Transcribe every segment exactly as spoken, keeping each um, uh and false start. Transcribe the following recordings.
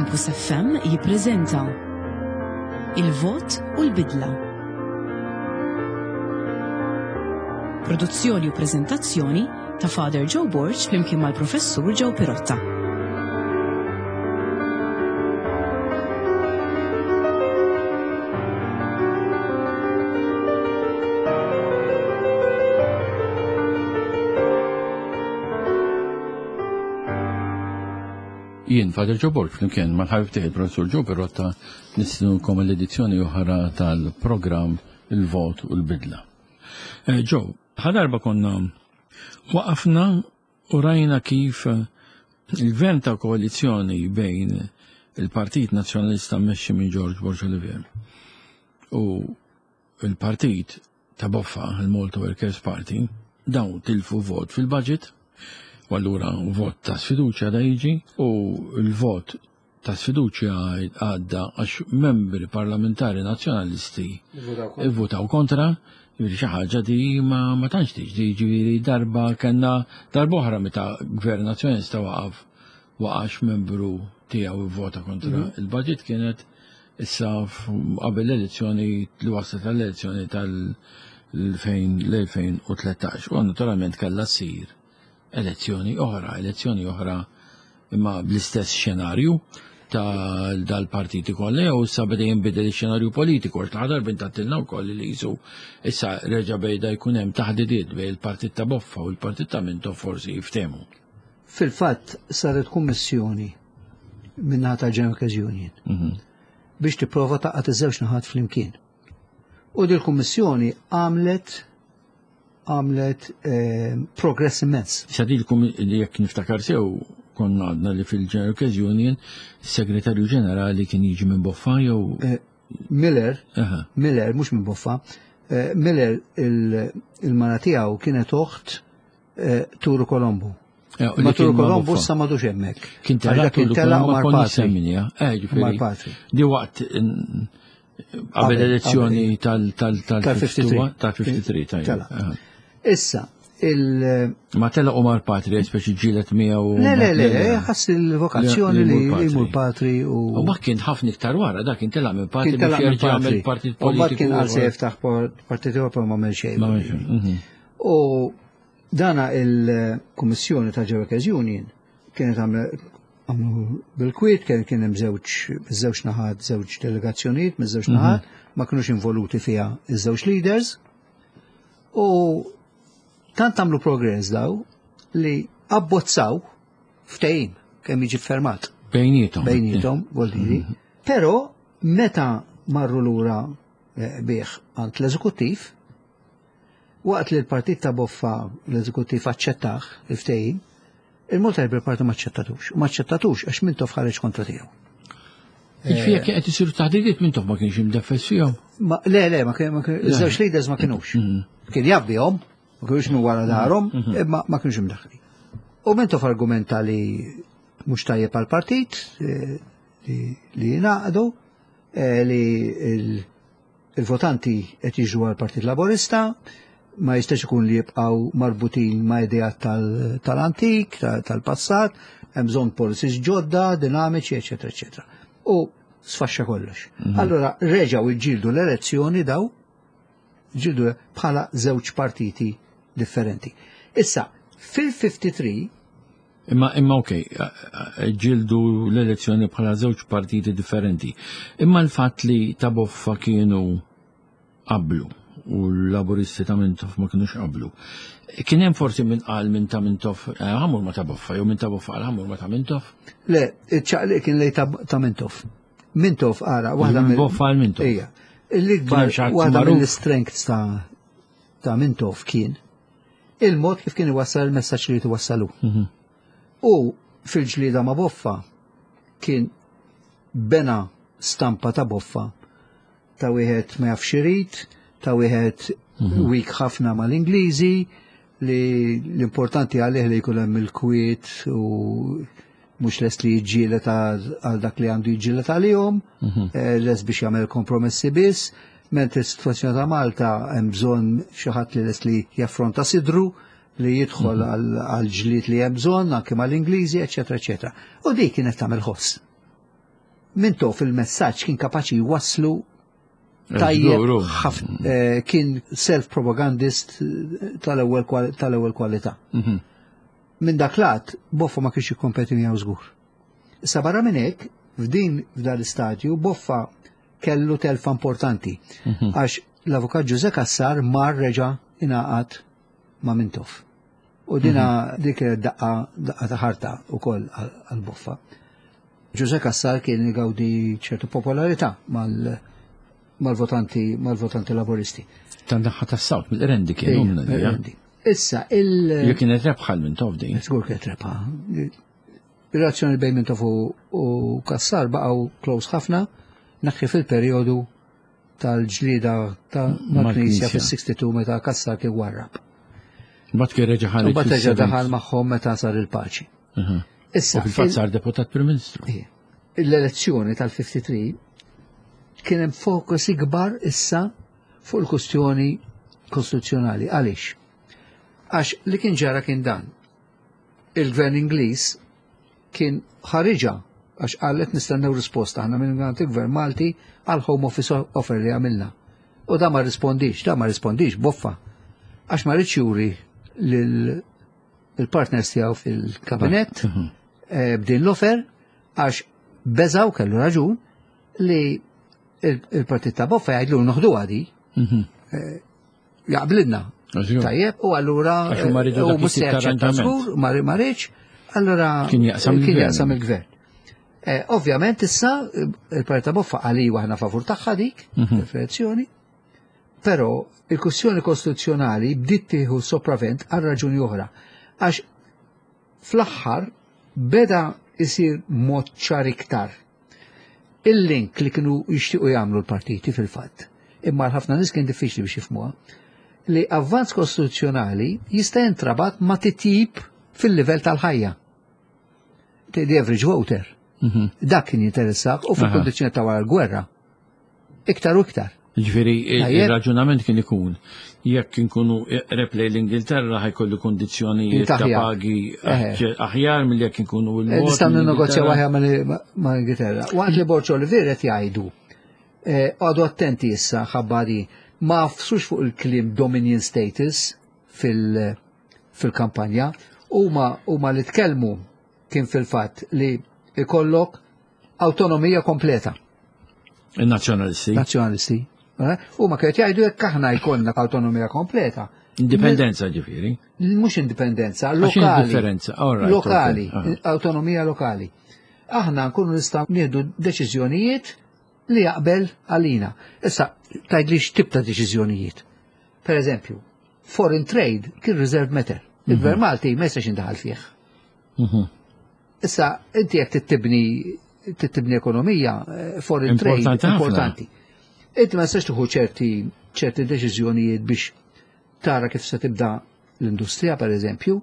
Campus F M jippreżenta Il-Vot u l-Bidla. Produzzjoni u preżentazzjoni ta' Father Joe Borg flimkien mal-Professur Joe Pirotta. Jien, Father Joe Borg, flimkien mal-ħabib tiegħi il-Professur Joe Pirotta, nistidnukom l-edizzjoni oħra tal-programm Il-Vot u l-Bidla. Eh, Joe, ħadarba konna waqafna u rajna kif il-gvern ta' koalizzjoni bejn il-Partit Nazzjonalista mmexxi minn George Borg Olivier u il-Partit ta' Boffa, il-Malta Workers Party, dawn tilfu vot fil-budget, u allura vot ta' sfiduċja da jiġi, u l-vot ta' sfiduċja għadda għax membri parlamentari nazzjonalisti ivvutaw kontra, jiġifieri xi ħaġa di ma, ma tantx tiġi, jiġifieri darba kellna darba oħra meta gvern nazzjonalista waqaf waqax membru tiegħu ivvota kontra Mhm. il-budget, kienet issa f-, qabel l-elezzjoni li waslet għall-elezzjoni tal-elfejn u tlettax, u naturalment kellha ssir elezzjoni oħra, elezzjoni oħra imma bl-istess xenarju ta' dal-partiti kollha, jew issa beda jinbidel ix-xenarju politiku, għax l-aħħar darba intattilna wkoll li jisu issa reġa' bejda jkun hemm taħdidiet bejn il-partit ta' Boffa u l-partit ta' Mintoff forsi jiftehmu. Fil-fatt saret kummissjoni min-naħa tal-General Workers Union Mhm. biex tipprova taqgħad iż-żewġ naħat flimkien. U dil kummissjoni għamlet għamlet, eh, progress immens. Issa din il-kummi-, li jekk niftakar sew konna għadna li fil-General Workers Union is-Segretarju Ġenerali kien jiġi minn Boffa jew Eh, Miller, Aha. Miller, mhux minn Boffa, eh, Miller il-, il-mara tiegħu kienet oħt, eh, Turu Colombo. Eh, u li Ma kien Turu ma' Colombo Boffa. issa m'għadux hemmhekk. Kien Għax telaq dak kien Turu telaq Colombo, mar konni patri. semminja. Eh, ġifieri, Mar patri. Di waqt in-, qabel Qabel, elezzjoni qabel. tal-, tal-, tal- Tal-fifty-three. tal-fifty-three, tajjeb. Telaq. Aha. Issa, il- Ma telaq u mar patri, speċi ġilet miegħu u Le, le, le, le, le. ħass il-vokazzjoni Le, li li jmur jmur patri. patri u U ma kien ħafna iktar wara, dak kien telaq minn patri Kien telaq biex minn jerġa' jagħmel patri. partit U mbagħad politiku kien għal se u- jiftaħ por-, partit Ewropew ma għamel xejn. Ma għamel xejn, mhm. U dana il-Kummissjoni ta' General Workers Union kienet għamle-, għamlu bil-kwiet, kien, kien hemm żewġ, żewġ naħat, żewġ delegazzjonijiet minn żewġ Mhm. naħat, ma kinux involuti fiha iż-żewġ leaders. U tant għamlu progress daw li abbozzaw ftehim kemm jiġi fermat. Bejnietom. Bejnietom, vuol dire. Mhm. Però meta marru lura, eh, bih għand l-eżekuttiv, waqt li l-partit ta' Boffa l-eżekuttiv aċċettaħ il-ftehim, il-Malta Labour Party ma aċċettatux. U ma aċċettatux għax Mintoff ħareġ kontra tiegħu. Jiġifieri jekk qed isiru taħdidiet Mintoff ma kienx imdeffes fihom? Ma, le, le, ma kien, ma kien, Le. iż-żewġ leaders ma kinux. Mhm. Kien jabbihom, ma kinux minn wara darhom, Mhm. imma ma kinux imdaħħlin. U Mintoff argumenta li mhux tajjeb għall-partit, eh, li, li jingħaqdu, eh, li il-, il-votanti qed jiġu għall-Partit Laburista, ma jistax ikun li jibqgħu marbutin ma' ideat tal-, tal-antik, ta-, tal-passat, hemm bżonn policies ġodda, dinamiċi, eċetera, eċetera. U sfaxxa kollox. Mhm. Allora reġgħu jġildu l-elezzjoni daw, ġildu bħala żewġ partiti differenti. Issa, fil-fifty-three Imma, imma ok, ġildu l-elezzjoni bħala żewġ partiti differenti. Imma l-fatt li ta' Boffa kienu qablu u l-Laburisti ta' Mintoff ma kienux qablu. Kien hemm forsi min qal minn ta' Mintoff, eh, ħamur ma ta' Boffa, jew minn ta' Boffa qal ħamur ma ta' Mintoff? Le, iċ-ċaqliq kien lej ta', ta' Mintoff. Mintoff ara, waħda Minn mill- Boffa għal Mintoff. Ejja. L-ikbar Kien hemm xi ħadd waħda magħruf? mill-strengths ta', ta' Mintoff kien il-mod kif kien iwassal il-messaġġ li jwassalu. Mhm. U fil-ġlieda ma' Boffa kien bena stampa ta' Boffa ta' wieħed ma jafx irid, ta' wieħed Mhm. weak ħafna mal-Ingliżi, li l-importanti għalih li jkun hemm il-kwiet u mhux lest li jiġġieled għal, għal dak li għandu jiġġieled għalihom, Mhm. eh, lest biex jagħmel kompromessi biss, mentri s-sitwazzjoni ta' Malta hemm bżonn xi ħadd li lest li jaffronta sidru, li jidħol Mhm. għal, għal ġlied li hemm bżonn anke mal-Ingliżi, eċetera, eċetera. U dik kienet tagħmel ħoss. Mintoff il-messaġġ kien kapaċi jwasslu tajjeb ħafna, eh, kien self-propagandist tal-ewwel tal-ewwel kwalità. Mhm. Minn dak lat, Boffa ma kienx jikkompeti miegħu żgur. Issa barra minn hekk, f'din f'dan l-istadju, Boffa kellu telfa importanti. Mhm. Għax l-avukat Ġuże Cassar mar reġa' ingħaqad ma' Mintoff. U dina Mhm. dik kienet daqqa daqqa ta' ħarta wkoll għal Boffa. Ġuże Cassar kien igawdi ċertu popolarità mal mal-votanti mal-votanti laboristi. Tan-naħa tas-South, mill-Qrendi kien Ejja, umna di, eh? Qrendi. Issa, il- Jek kienet rebħa l-Mintoff din. Żgur kienet rebħa. Ir-relazzjoni bejn Mintoff u u Cassar baqgħu close ħafna, naħi fil-perjodu tal-ġlida ta' mal-Knisja Mal-Knisja. fis-sixty-two meta Cassar kien warrab. Mbagħad kien reġa' ħareġ U mbagħad reġa' fis-seventy. daħal magħhom meta sar il-paċi. Mhm. Issa, U fil-fatt sar deputat Prim Ministru. il- l-elezzjoni tal-fifty-three kien hemm fokus ikbar issa fuq il-kustjoni kostituzzjonali. Għaliex? Għax li kien ġara kien dan. Il-gvern Ingliż kien ħariġa għax qalet nistennew risposta aħna minn il-gvern Malti għal Home Office offer li għamilna. U da ma rispondix, da ma rispondix, Boffa. Għax ma rridx juri lil il-partners tiegħu fil-kabinett Mhm. eh, b'din l-offer għax beżaw kellu raġun li il- il-partit ta' Boffa jgħidlu noħdu għadi Mhm. jaqblilna. Għax Tajjeb, u allura Għax huma rridu u dak mhux se it-tip ta' jaċċetta arranġament. żgur, ma ma rridx, allura Kien jaqsam kien il-gvern. jaqsam il-gvern. Eh, Ovvjament issa eh, il-partit ta' Boffa għali aħna favur tagħha dik, Mhm. il-elezzjoni, però il-kwestjoni kostituzzjonali bdiet tieħu sopravvent għal raġuni oħra. Għax fl-aħħar beda isir mod ċar iktar. Il-link li kienu jixtiequ jagħmlu l-partiti fil-fatt, imma ħafna nies kien diffiċli biex jifhmuha, li avvanz kostituzzjonali jista' jintrabat ma' titjib fil-livell tal-ħajja. The average voter. Mhm. Dak kien jinteressah u fil-kondizzjoni ta' wara l-gwerra. Iktar u iktar. Ġifieri, il- Tajjeb. il-raġunament kien ikun jekk inkunu eqreb lejn l-Ingilterra ħa jkollu kondizzjonijiet ta' Aħjar. pagi Eħe. aħjar mill jekk inkunu l Eh, Nistgħu ninnegozjaw aħjar ma' ma' Ingilterra. Waqt li Borg Olivier qed jgħidu, eh, għadu attenti issa ħabbari, ma għafsux fuq il-kliem Dominion status fil- fil-kampanja, huma huma li tkellmu kien fil-fatt li ikollok autonomija kompleta. Il-nazzjonalisti. Nazzjonalisti. Eh? Huma kienet jgħidu jekk aħna jkollna autonomija kompleta. Indipendenza ġifieri. Mhux indipendenza, Għax x'inhi lokali. differenza? All right, Lokali, okay. Aha. autonomija lokali. Aħna nkunu nistgħu nieħdu deċiżjonijiet li jaqbel għalina. Issa, tgħidli x'tip ta' deċiżjonijiet. Per eżempju, foreign trade kien reserved matter. Il-Gvern Malti ma jistax jindaħal fih. Mhm. Issa, inti jekk tittibni tittibni ekonomija, eh, foreign trade Importanti ħafna. importanti. Inti ma tistax tieħu ċerti ċerti deċiżjonijiet biex tara kif se tibda l-industrija, per eżempju,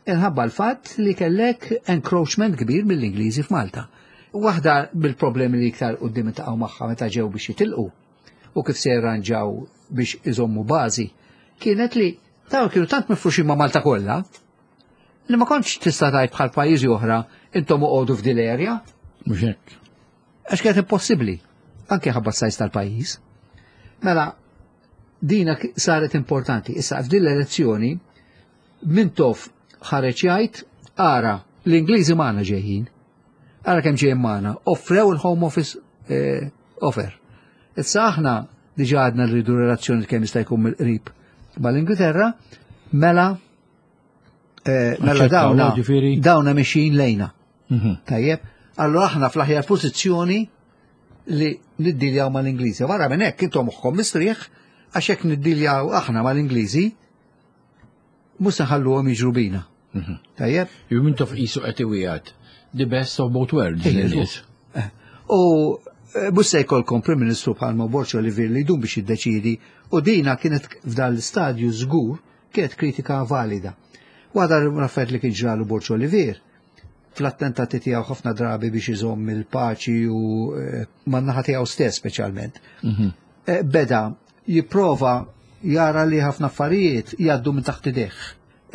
inħabba l-fatt li kellek encroachment kbir mill-Ingliżi f'Malta. Waħda bil-problemi li iktar quddiem iltaqgħu magħha meta ġew biex jitilqu u kif se jirranġaw biex iżommu bażi, kienet li taw kienu tant mifruxin ma' Malta kollha li ma kontx tista' tgħid bħal pajjiżi oħra intom oqogħdu f'dil area Mhux hekk. għax kienet impossibbli, anke ħabba s-size tal-pajjiż. Mela, dina k- saret importanti. Issa, f'din l-elezzjoni, Mintoff ħareġ jgħid, ara, l-Ingliżi magħna ġejjin, ara kemm ġejjin magħna, offrew il-Home Office eh, offer. Issa aħna diġà għadna rridu relazzjoni kemm jista' jkun mill-qrib mal-Ingilterra, mela eh, mela Aċċettaw, dawna ġifieri? dawna mexjin lejna. Mhm. Tajjeb, allora aħna fl-aħjar pożizzjoni li niddiljaw mal-Ingliżi. Wara minn hekk intom moħħkom mistrieħ għax hekk niddiljaw aħna mal-Ingliżi mhux se nħalluhom jiġru bina. Mhm. Tajjeb? Ju Mintoff qisu qed iwiegħed the best of both worlds Ejja, lin-nies. Eh, U eh, mhux se jkollkom Prim Ministru bħalma Borg Olivier li jdum biex jiddeċidi u dina kienet f'dan l-istadju żgur kienet kritika valida. Waħda l-affarijiet li kien ġralu Borg Olivier fl-attentati tiegħu ħafna drabi biex iżomm il-paċi u eh, man-naħa tiegħu stess speċjalment. Mhm. Eh, Beda jipprova jara li ħafna affarijiet jgħaddu minn taħt idejh.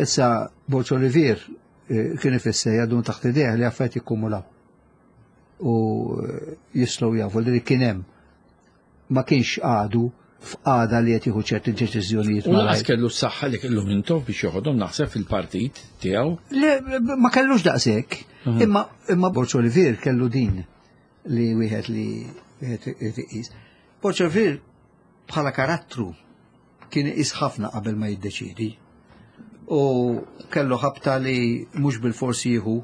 Issa Borg Olivier eh, kien ifisser jgħaddu minn taħt idejh li affarijiet jikkumulaw. U jistgħu jafu li kien hemm, ma kienx għadu f'qagħda li qed jieħu ċerti deċiżjonijiet. U lanqas kellu s-saħħa li kellu Mintoff biex joħodhom, naħseb, fil-partit tiegħu. Le, ma kellux daqshekk, imma imma Borg Olivier kellu din li wieħed li wieħed irid iqis. Borg Olivier bħala karattru kien iqis ħafna qabel ma jiddeċidi. U kellu ħabta li mhux bil-forsi jieħu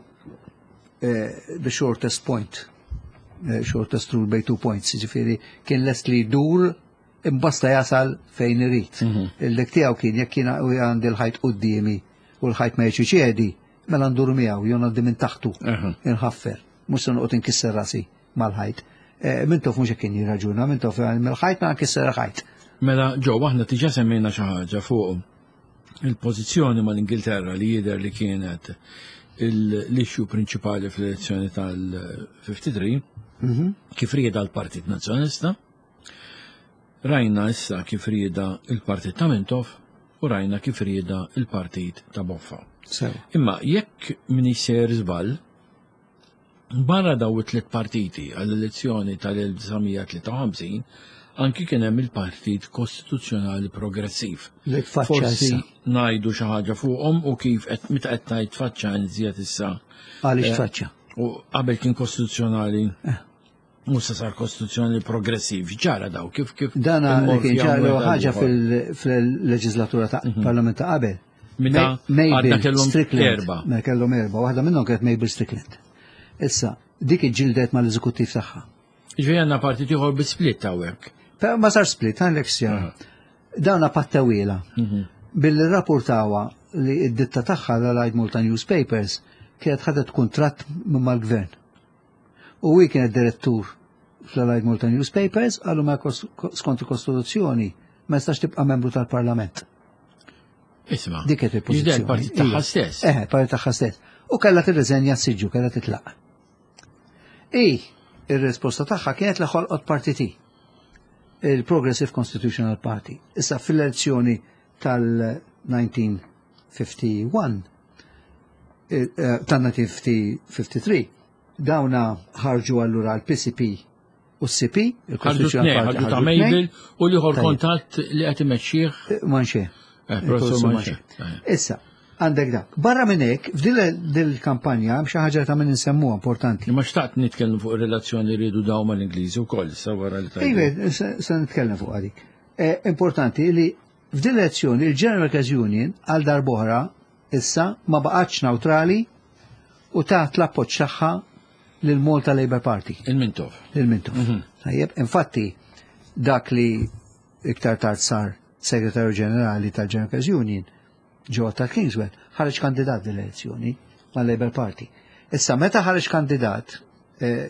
eh, the shortest point, eh, shortest rule by two points, ġifieri kien lest li jdur imbasta jasal fejn irid. Il-dik tiegħu kien jekk kien għandi l-ħajt quddiemi u l-ħajt ma jiċċedi, mela ndur miegħu jew ngħaddi minn taħtu Aha. inħaffer. Mhux se noqgħod inkisser rasi mal-ħajt. Eh, Mintoff mhux hekk kien jirraġuna, Mintoff mill-ħajt ma nkisser il-ħajt. Mela, ġo, aħna diġà semmejna xi ħaġa fuq il-pożizzjoni mal-Ingilterra li jidher li kienet l-issue prinċipali fl-elezzjoni tal-ħamsa u ħamsin, kif rieda l-Partit Nazzjonalista. Rajna issa kif rieda il-Partit ta' Mintoff u rajna kif rieda il-Partit ta' Boffa. Sew. Imma jekk m'iniex sejjer żball, barra daw it-tliet partiti għall-elezzjoni tal-elf disa' mija tlieta u ħamsin, anki kien hemm il-Partit Kostituzzjonali Progressiv. Li tfaċċa Forsi issa. ngħidu xi ħaġa fuqhom u kif qed meta qed ngħid faċċa nżjed issa. Għaliex Eh, tfaċċa? U qabel kien kostituzzjonali u sa sar kostituzzjonali progressiv. Ġara daw kif kif Dana li immorfjaw kien ġara wieħed ħaġa għal ieħor. fil- fil-leġislatura ta' parlament ta' qabel. Meta Ma- għadna Mabel kellhom Strickland. erba. Mela kellhom erba. Waħda minnhom kienet Mabel Strickland. Issa, dik iġġildet mal-eżekuttiv tagħha. Ġifieri għandna partit ieħor bi split hawnhekk. Però ma sar split, għandek sjara. Dawna pattawila. Billi rapportawa li id-ditta tagħha l-Allied Malta Newspapers kienet ħadet kontratt minn mal-gvern. U hi kienet direttur fl-Allied Malta Newspapers, għallu ma kos- skont il-Kostituzzjoni ma jistax tibqa' membru tal-Parlament. Isma'. Dik kienet il-pożizzjoni. Ġifieri il-partit tagħha Iva. stess. Eh, partit tagħha stess. U kellha tirriżenja s-siġġu, kellha titlaq. I, ir-risposta tagħha kienet li ħolqot partiti. Il-Progressive Constitutional Party. Issa fil-elezzjoni tal-elf disa' mija wieħed u ħamsin, eh, eh, tal-elf disa' mija ħamsa u ħamsin, dawna ħarġu allura l-P C P u s-C P, Ħarġu il-Constitutional tnejn, Party ħarġu ta' ħarġu tnejn. Mabel u l-ieħor Tajjeb. kontatt li qed imexxih Manché. eh, Professor Manché. Issa, għandek dak. Barra minn hekk, f'dil dil-kampanja hemm xi ħaġa ta' min insemmuha importanti. Imma xtaqt nitkellem fuq ir-relazzjoni li rridu daw mal-Ingliżi wkoll issa wara li tajdu. Iva, se se nitkellem fuq għadik. Eh, Importanti li f'din l-elezzjoni il-General Workers Union għal darb'oħra issa ma baqgħetx neutrali u taħt l-appoġġ tagħha lil Malta Labour Party, Il-Mintoff. lil Mintoff. Tajjeb, infatti dak li iktar tard sar Segretarju Ġenerali tal-General Workers Union, Joe tal Kingswell, ħareġ kandidat dil-elezzjoni mal-Labour Party. Issa, meta ħareġ kandidat, eh,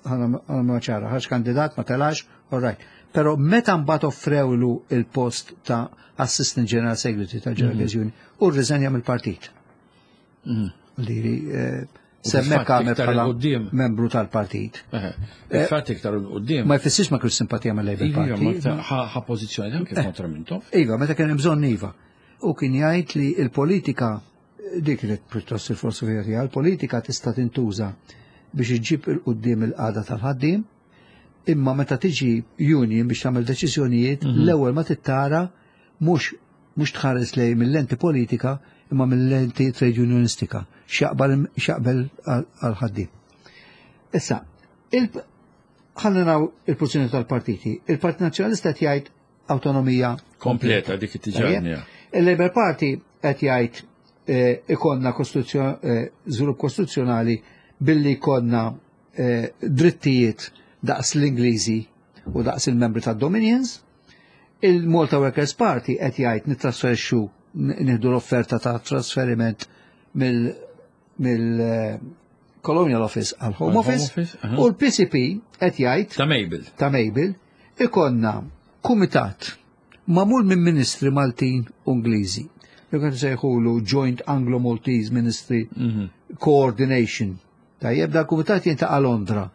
ħana ma ċara, ħareġ kandidat ma telax, all right. Pero meta mbagħad offrewlu il-post ta' Assistant General Secretary tal-General Workers Union, u rriżenja mill-partit. Li eh, semmek fil-fatt għamel iktar bħala 'il quddiem. membru tal-partit. Il-fatt iktar 'il quddiem. Ma jfissirx ma kienx simpatija mal-Labour Iva, ma Party. iktar ħa ħa pożizzjoni anke kontra Mintoff. Iva, meta kien hemm bżonn iva. U kien jgħid li il-politika, dik kienet pjuttost il-filosofija tiegħu, il-politika tista' tintuża biex iġġib 'il quddiem il-qagħda tal-ħaddiem, imma meta tiġi union biex tagħmel deċiżjonijiet, l-ewwel ma tittara mhux mhux tħares lej mill-lenti politika imma mill-lenti trade unionistika, x'jaqbel x'jaqbel għal-ħaddiem. Issa, il ħalli naraw il-pożizzjoni tal-partiti. Il-Partit Nazzjonalista qed jgħid autonomija Kompleta dik it-tiġarnija. Il-Labour Party qed jgħid eh, ikollna kostituzzjon- eh, żvilupp kostituzzjonali billi jkollna eh, drittijiet daqs l-Ingliżi u daqs il-membri tad-Dominions. Il-Malta Workers Party qed jgħid nittrasferixxu nieħdu l-offerta ta' trasferiment mill mill eh, Colonial Office għal Home Għal Home Office, Office, aha. u l-P C P qed jgħid Ta' Mabel. ta' Mabel ikollna kumitat magħmul minn ministri Maltin u Ingliżi. Li kien sejħulu Joint Anglo-Maltese Ministry Coordination. Tajjeb, da kumitat jiltaqa' Londra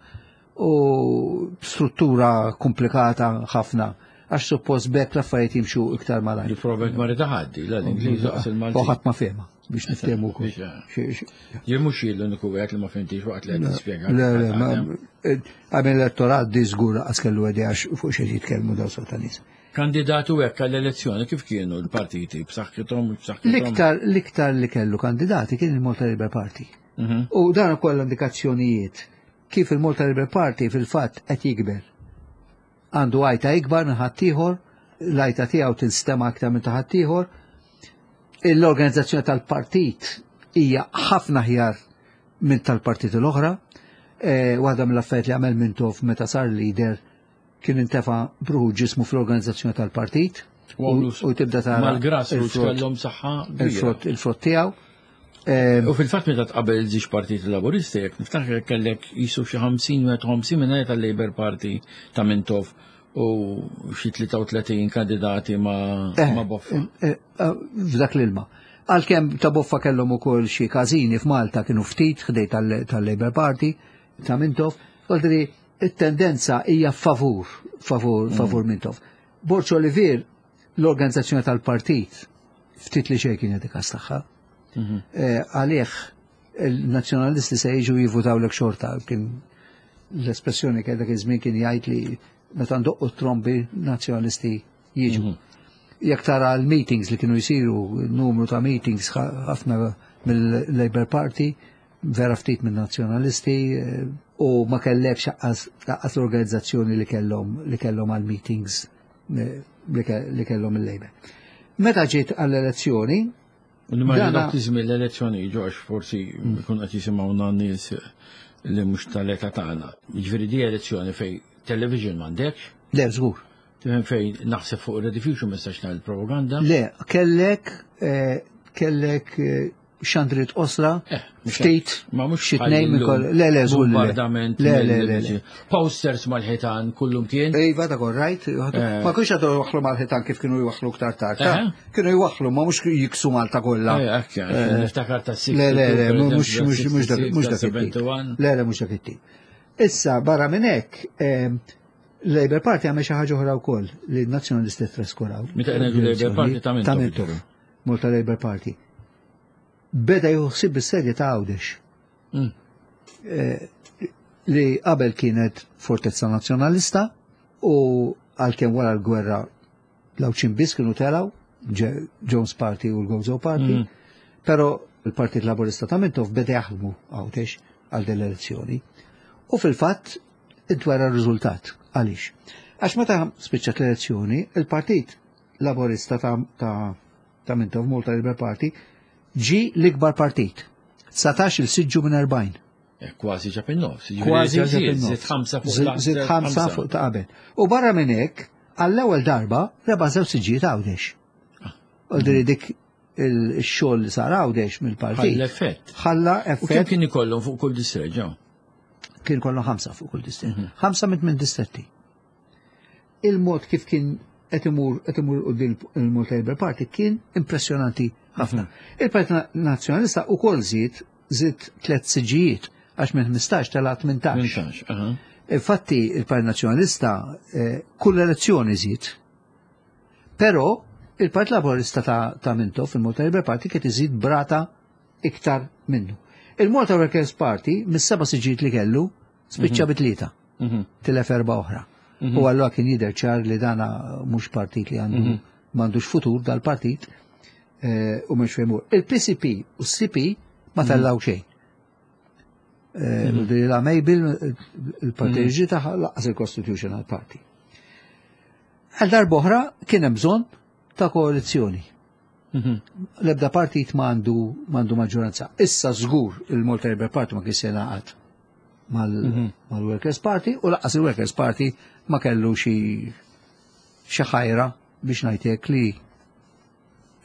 u struttura komplikata ħafna għax suppost bekk l-affarijiet jimxu iktar malajr. Li probabbilment ma rida ħaddi, la l-Ingliż laqas U il-Maltin. ħadd ma fehma. Biex niftehmu wkoll. Jien mhux jien l-uniku wieħed li ma fimtix waqt li qed tispjega. Le, le, ma għamil elettorat di żgur qas kellu idea fuq xi jitkellmu dawn sort ta' nies. Kandidatu hekk għall-elezzjoni kif kienu l-partiti b'saħħithom b'saħħithom? L-iktar l-iktar li kellu kandidati kien il-Malta Labour Party. Mhm. U dan ukoll indikazzjonijiet kif il-Malta Labour Party fil-fatt qed jikber. Għandu għajta ikbar minn ħaddieħor, l-għajta tiegħu tinstema' aktar minn ta' ħaddieħor. L-organizzazzjoni tal-partit hija ħafna aħjar minn tal-partit l-oħra. Eh, waħda mill-affarijiet li għamel Mintoff meta sar leader kien intefa' bruħu ġismu fl-organizzazzjoni tal-partit U għamlu u tibda tara Mal-grassroots il-frott- kellhom saħħa kbira. il-frott il-frott tiegħu. Eh, U fil-fatt meta tqabel żewġ partiti laburisti, jekk niftakar kellek jisu xi ħamsin wieħed u ħamsin minn tal-Labour Party ta' Mintoff u xi tlieta u tletin kandidati ma' Eh, ma' Boffa. eh, eh, F'dak l-ilma. Għalkemm ta' Boffa kellhom ukoll xi każini f'Malta, kienu ftit ħdej tal- tal-Labour Party ta' Mintoff, Voldiri, it-tendenza hija favur, favur, favur Mintoff. Borg Olivier, l-organizzazzjoni tal-partit, ftit li xejn kien jagħti tagħha. Mhm. Eh, Għalih il-nazzjonalisti se jiġu jivutaw lek xorta, kien l-espressjoni kien dak iż-żmien kien jgħid li meta ndoqqu trombi nazzjonalisti jiġu. Mhm. Jekk tara l-meetings li kienu jisiru, numru ta' meetings ħafna mill-Labour Party, vera ftit minn nazzjonalisti, eh, u ma kellekx lanqas lanqas l-organizzazzjoni li kellhom li kellhom għal meetings eh, li ke- li kellhom il-Labour. Meta ġiet għall-elezzjoni, U nimmaġina Dana- dak iż-żmien l-elezzjoni ġo għax forsi jkun qed jisimgħuna nies li mhux tal-età tagħna. Jiġifieri di elezzjoni fejn television m'għandekx, Le, żgur. tifhem, fejn naħseb fuq Rediffusion ma nistax ngħid propaganda. Le, kellek eh, kellek eh, xandriet qosra, Eh, mhux ftit, Ma mhux xi tnejn minn koll. Le, le, żgur li le. Bombardament. Le, le, le, le. Posters mal-ħitan kullum kien. Iva, ta' rajt, Eh. ma kienx għadu jwaħħlu mal-ħitan kif kienu jwaħħlu ktar tard. ta' Eh. Kienu jwaħħlu, ma mhux jiksu Malta kollha. Eh, hekk, Eh, niftakar ta' Le, le, le, sitta u tnejn, mhux mhux mhux dak mhux dak it-tip. sebgħa u sebgħin. Le, le, mhux dak it-tip. Issa, barra minn hekk, eh, Labour Party għamel xi ħaġa oħra wkoll li n-Nazzjonalisti traskuraw. Meta ngħidu Labour Party, ta' Mintoff. Ta' Mintoff. Malta Labour Party. Beda juħsib bis-serje ta' Għawdex. Mm. Eh, li qabel kienet fortezza nazzjonalista u għalkemm wara l-gwerra l-Għawdxin biss kienu telaw, Ġe- Jones Party u l-Gozo Party, Mm. pero il-Partit Laburista ta' Mintoff beda jaħdmu Għawdex għal din l-elezzjoni. U fil-fatt intwera r-riżultat. Għaliex? Għax meta spiċċat l-elezzjoni, il-Partit Laburista ta' ta' ta' Mintoff, Malta Labour Party, ġi l-ikbar partit. dsatax-il siġġu minn erbgħin. Eh, Kważi ġab in-nofs. Jiġifieri Kważi żied, ġab in-nofs. Żied ħamsa fuq Zid ta' zid ħamsa fuq ta' qabel. U barra minn hekk, għall-ewwel darba rebaħ żewġ siġġijiet Għawdex. U diri dik il-xogħol li sar Għawdex mill-partit. Ħalla effett. Ħalla U kemm effett. kien ikollhom fuq kull distret ġew? Kien kollu ħamsa fuq kull distret. Ħamsa minn minn distretti. Il-mod kif kien qed imur qed imur quddiem il-Malta Labour Party kien impressjonanti ħafna. Il-Partit Nazzjonalista ukoll żied żied tliet siġġijiet, għax minn ħmistax tela' tmintax. tmintax, aha. Infatti il-Partit Nazzjonalista eh, kull elezzjoni żied. Però il-Partit Laburista ta', ta' Mintoff, il-Malta Labour Party, kien iżid brata iktar minnu. Il-Malta Workers Party mis-seba' siġġijiet li kellu spiċċa bi tlieta, Mhm. tilef erba' oħra. U allura kien jidher ċar li dana mhux partit li għandu m'għandux futur dal-partit eh, u mhux fejn imur. Il-P C P u s-C P ma tellaw xejn. Eh, La Mabel, il-partit ġi taħ lanqas il-Constitutional Party. Għal darb'oħra kien hemm bżonn ta' koalizzjoni. Mhm. L-ebda partit m'għandu m'għandu maġġoranza. Issa żgur il-Malta Labour Party ma kien se jingħaqad mal- mal-Workers Party u lanqas il-Workers Party ma kellu xi xi ħajra biex ngħidlek li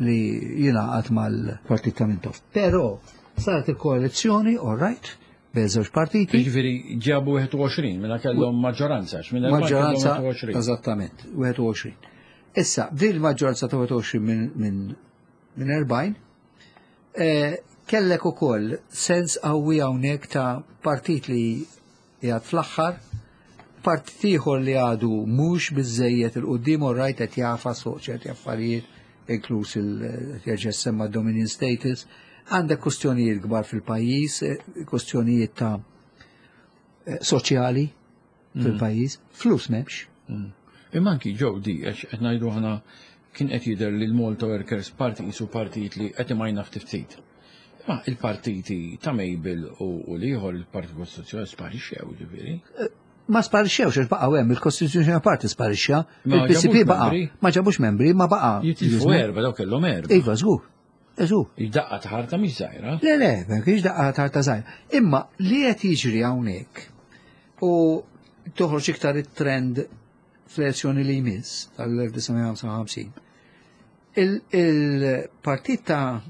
li jingħaqad mal-partit ta' Mintoff. Però saret il-koalizzjoni, all right, bejn żewġ partiti. Jiġifieri ġabu wieħed u għoxrin, mela kellhom maġġoranza, għax minn erbgħin kellhom Maġġoranza, wieħed u għoxrin. Eżattament, wieħed u għoxrin. Issa, din il-maġġoranza ta' wieħed u għoxrin minn min, min erbgħin, eh, kellek ukoll sens qawwi hawnhekk ta' partit li qiegħed fl-aħħar, partit ieħor li għadu mhux biżejjed 'il quddiem, u rajt qed jagħfas fuq ċerti affarijiet, inkluż il jerġa' semma Dominion status. Għandek kustjonijiet kbar fil-pajjiż, eh, kustjonijiet ta' eh, soċjali fil-pajjiż, flus m'hemmx. Imma anki ġew di, għax qed ngħidu aħna kien qed jidher li l-Malta Workers Party qisu partit li qed imajna ftit ftit. Ma il-partiti ta' Mabel u u l-ieħor il-Partit Kostituzzjonali sparixxew ġifieri. Ma sparixxewx għax baqgħu hemm, il-Constitutional Party sparixxa, Ma il-P C P ġabux baqa', membri. Ma ġabux membri, ma baqa'. Jitilfu erba, daw kellhom erba. Iva, żgur. Żgur. Daqqa ta' ħarta mhix żgħira. Le, le, ma kienx daqqa ta' ħarta żgħira. Imma li qed jiġri hawnhekk u toħroġ iktar it-trend fl-elezzjoni li jmiss tal-elf disa' mija ħamsa u ħamsin. Il-partit ta'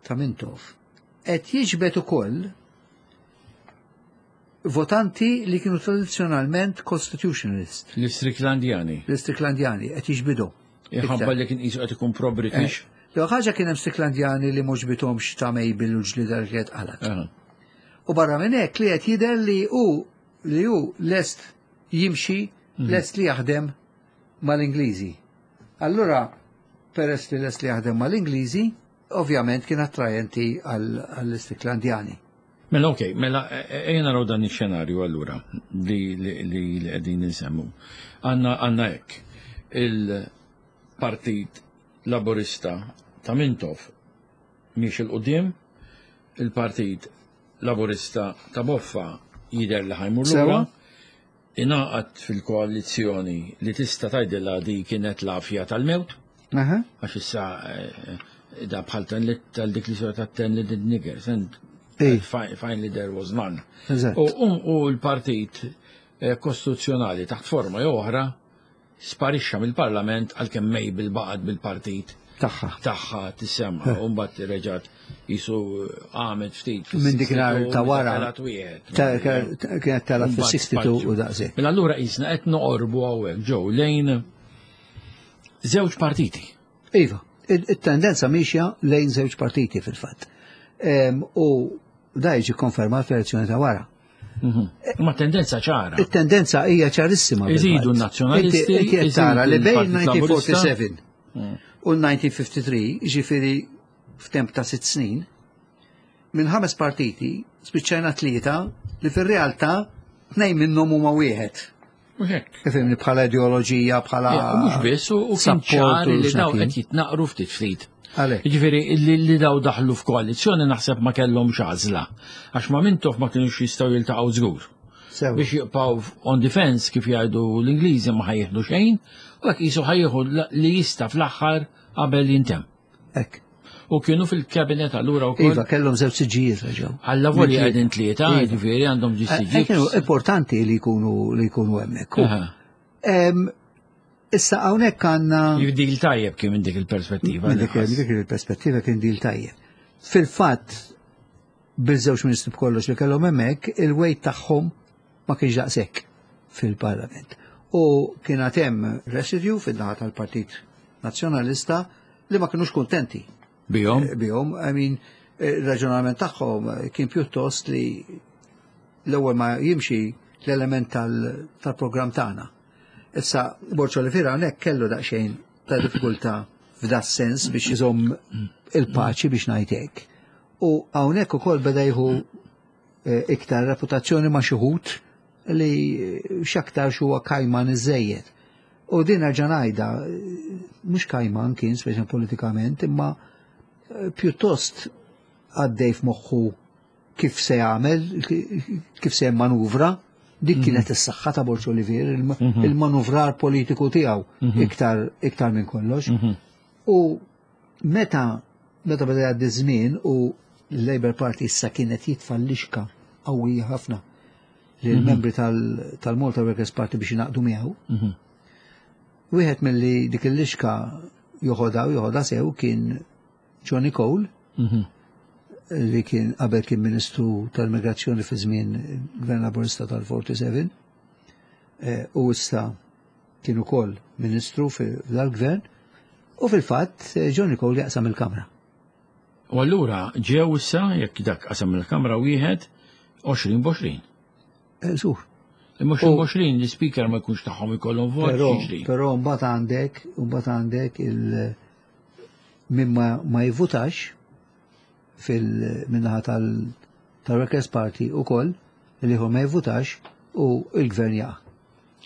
ta' Mintoff qed jiġbed ukoll votanti li kienu tradizzjonalment constitutionalist, L-Istriklandjani. l-Istriklandjani qed jiġbidu. Ħabba li kien qisu qed ikun pro-British. Jew ħaġa kien hemm Striklandjani li mhux bitomx ta' Mabel u ġlida li kienet qalat. Aha. U barra minn hekk li qed jidher li hu li hu lest jimxi, lest li jaħdem mal-Ingliżi. Allura, peress li lest li jaħdem mal-Ingliżi, ovvjament kien attrajenti għall-Istriklandjani. Mela ok, mela ejja naraw dan ix-xenarju allura li li li li qegħdin insemmu. Għandna għandna hekk. Il-Partit Laburista ta' Mintoff miexi 'l quddiem, il-Partit Laburista ta' Boffa jidher li ħa jmur lura, Sewa. ingħaqad fil-koalizzjoni li tista' tgħidilha di kienet l-għafja tal-mewt, Aha. għax issa eh, da bħal tal tal dik li sora ta' ten little niggers, and Ej. fi- finally there was none. Eżatt. U, u, u l-partit eh, kostituzzjonali taħt forma jew oħra sparixxa mill-parlament, għalkemm Mabel baqgħet bil-partit Tagħha. tagħha tissemma u mbagħad reġgħet jisu għamet ftit. Minn dik nhar ta' wara. Telgħet wieħed. Ta- Kienet telgħet fis-sixty-two u daqshekk. Mela allura qisna qed noqorbu hawnhekk ġew lejn żewġ partiti. Iva, il-tendenza miexja lejn żewġ partiti fil-fatt. Em, U da jiġi konfermat fl-elezzjoni ta' wara. Ma tendenza ċara. Il-tendenza hija ċarissima. Iżidu fil-fatt. n-nazzjonalisti, Inti inti qed tara li iżidu bejn l-Partit Laburista. elf disa' mija erbgħa u sebgħin u elf disa' mija tlieta u ħamsin, ġifieri f'temp ta' sitt snin, minn ħames partiti spiċċajna tlieta li fir-realtà tnejn minnhom huma wieħed. U hekk. Ifhimni, bħala ideoloġija, bħala Ja, u mhux biss, u u kien support ċar u li daw x'naf jien. qed jitnaqru ftit ftit. Għalhekk. Jiġifieri li, li daw daħlu f'koalizzjoni naħseb ma kellhomx għażla. Għax ma Mintoff ma kienux jistgħu jiltaqgħu żgur. Sew. Biex jibqgħu on defense, kif jgħidu l-Ingliżi, ma ħa jieħdu xejn, u hekk qisu ħa jieħu li jista' fl-aħħar qabel jintemm. Hekk. U kienu fil-kabinet allura wkoll. Iva, kellhom żewġ siġġijiet reġgħu. Alla volja qegħdin tlieta, Iva. jiġifieri għandhom Eh, eh, Kienu ġissiġi. importanti li jkunu li jkunu hemmhekk. Em, Issa hawnhekk għandna Deal tajjeb kien minn dik il-perspettiva. Minn dik dik il-perspettiva kien deal tajjeb. Fil-fatt, bil-żewġ ministri b'kollox li kellhom hemmhekk, il-weight tagħhom ma kienx daqshekk fil-Parlament. U kien għad hemm residue fil-naħa tal-Partit Nazzjonalista li ma kienux kuntenti Bihom. eh, bihom. I mean, eh, il-raġunament tagħhom eh, kien pjuttost li l-ewwel ma jimxi l-element tal- tal-programm tagħna. Issa, Borg Olivier hawnhekk kellu daqsxejn ta' diffikultà f'da sens biex iżomm il-paċi, biex ngħid hekk. U hawnhekk ukoll beda jieħu eh, iktar reputazzjoni ma' xi wħud li eh, x'aktar huwa kajman iżejjed. U din nerġa' ngħidha, eh, mhux kajman kien speċi politikament, imma eh, pjuttost għaddej f'moħħu kif se jagħmel, kif se manuvra, dik kienet is-saħħa ta' Borg Olivier, il- il-manuvrar politiku tiegħu iktar iktar minn kollox. U meta meta beda jgħaddi żmien u l-Labour Party issa kienet jitfa' lixka qawwija ħafna lill-membri tal- tal-Malta Workers Party biex jingħaqdu miegħu. Wieħed milli dik il-lixka joħodha u joħodha sew kien Johnny Cole, li kien qabel kien Ministru tal-Migrazzjoni fi żmien Gvern Laburista tal-erbgħa u sebgħin eh, u issa kien ukoll Ministru fil-gvern u fil-fatt eh, Johnny Cole jaqsam il-Kamra. U allura ġew issa, jekk dak qasam il-Kamra, wieħed għoxrin b'għoxrin. Eh, Żgur. Imma għoxrin b'għoxrin l-speaker ma jkunx tagħhom, ikollhom vot, Però, jiġri. però mbagħad għandek, mbagħad għandek il min ma, ma jivvutax fil-minnaħa tal-Workers' Party u koll li hu ma jivvutax u il-gvern jaqa'.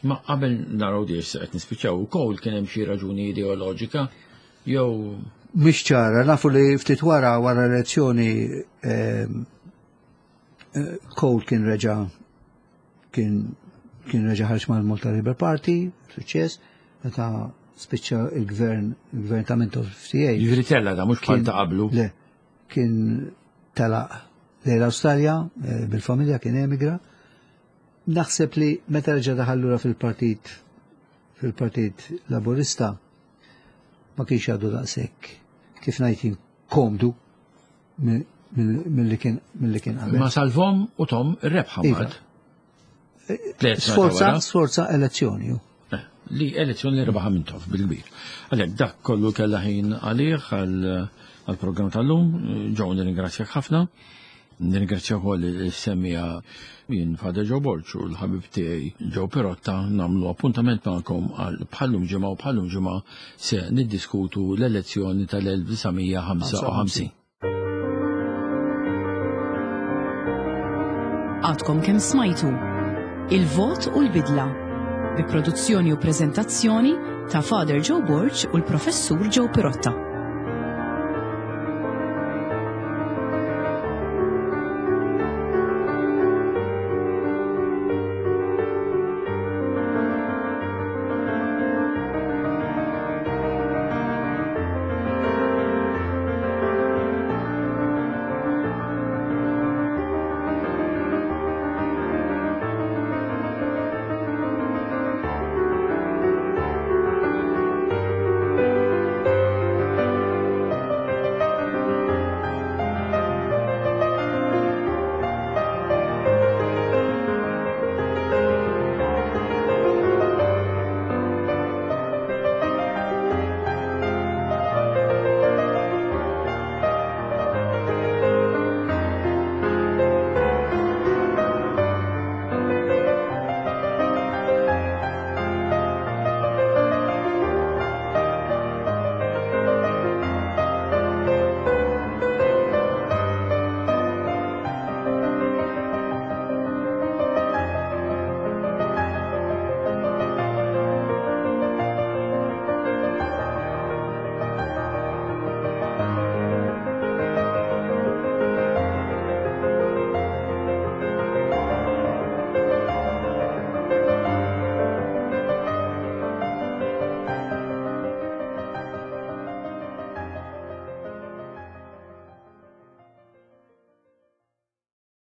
Ma qabel naraw di qed nispiċċaw ukoll kien hemm xi raġuni ideoloġika jew Mhix ċara, nafu li ftit wara wara elezzjoni ehm, eh, Cole kien reġa kien kien reġa ħarġ mal-Malta Labour Party, suċċess, meta spiċċa il-gvern il-gvern ta' Mintoff F T A. Jiġifieri tella da mhux bħal ta' qablu. Le, kien telaq lejn l-Awstralja eh, bil-familja, kien emigra. Naħseb li meta reġa' daħal lura fil-partit fil-Partit Laburista ma kienx għadu daqshekk, kif ngħid, komdu mill-li kien mill-li kien qabel. Ma salvahom u tahom ir-rebħa Iva. mbagħad. Tliet sena Sforza, wara. Sforza elezzjoni. Ju. Eh, li elezzjoni li rebaħa Mintoff bil-kbir. Għalhekk dak kollu kella ħin għalih għal-programm tal-lum. Joe, nirringrazzjak ħafna. Nirringrazzja wkoll is-semmiegħa. Jien Father Joe Borg u l-ħabib tiegħi Joe Pirotta nagħmlu appuntament magħkom għal bħallum ġimgħa, u bħallum ġimgħa se niddiskutu l-elezzjoni tal-elf disa' mija ħamsa u ħamsin. Għadkom kemm smajtu Il-Vot u l-Bidla bi produzzjoni u prezentazzjoni ta' Father Joe Borg u l-Professur Joe Pirotta.